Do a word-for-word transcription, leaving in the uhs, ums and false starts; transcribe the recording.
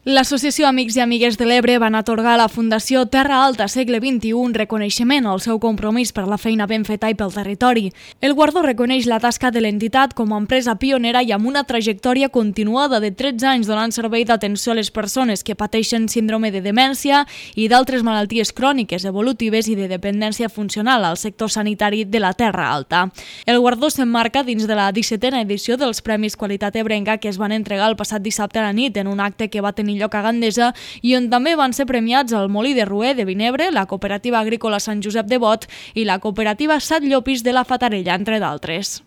L'Associació Amics i Amigues de l'Ebre van atorgar a la Fundació Terra Alta Segle vint-i-u un reconeixement al seu compromís per la feina ben feta i pel territori. El guardó reconeix la tasca de l'entitat com a empresa pionera i amb una trajectòria continuada de tretze anys donant servei d'atenció a les persones que pateixen síndrome de demència i d'altres malalties cròniques, evolutives i de dependència funcional al sector sanitari de la Terra Alta. El guardó s'emmarca dins de la dissetena edició dels Premis Qualitat Ebrenca que es van entregar el passat dissabte a la nit en un acte que va tenir lloc a Gandesa i on també van ser premiats el Molí de Roer de Vinebre, la Cooperativa Agrícola Sant Josep de Bot i la Cooperativa Sat Llopis de la Fatarella, entre d'altres.